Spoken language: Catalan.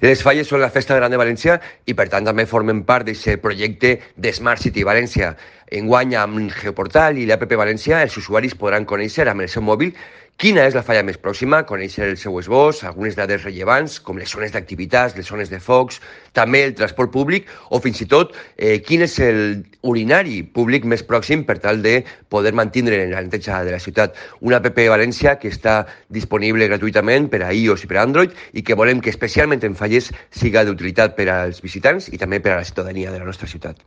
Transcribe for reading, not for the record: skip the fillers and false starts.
Les falles són la festa gran de València i, per tant, també formen part d'aquest projecte de Smart City València. Enguany, amb Geoportal i l'APP València, els usuaris podran conèixer amb el seu mòbil quina és la falla més pròxima, conèixer el seu esbós, algunes dades rellevants, com les zones d'activitats, les zones de focs, també el transport públic o fins i tot quin és el urinari públic més pròxim per tal de poder mantenir la neteja de la ciutat. Una app València que està disponible gratuïtament per a iOS i per a Android i que volem que especialment en falles siga d'utilitat per als visitants i també per a la ciutadania de la nostra ciutat.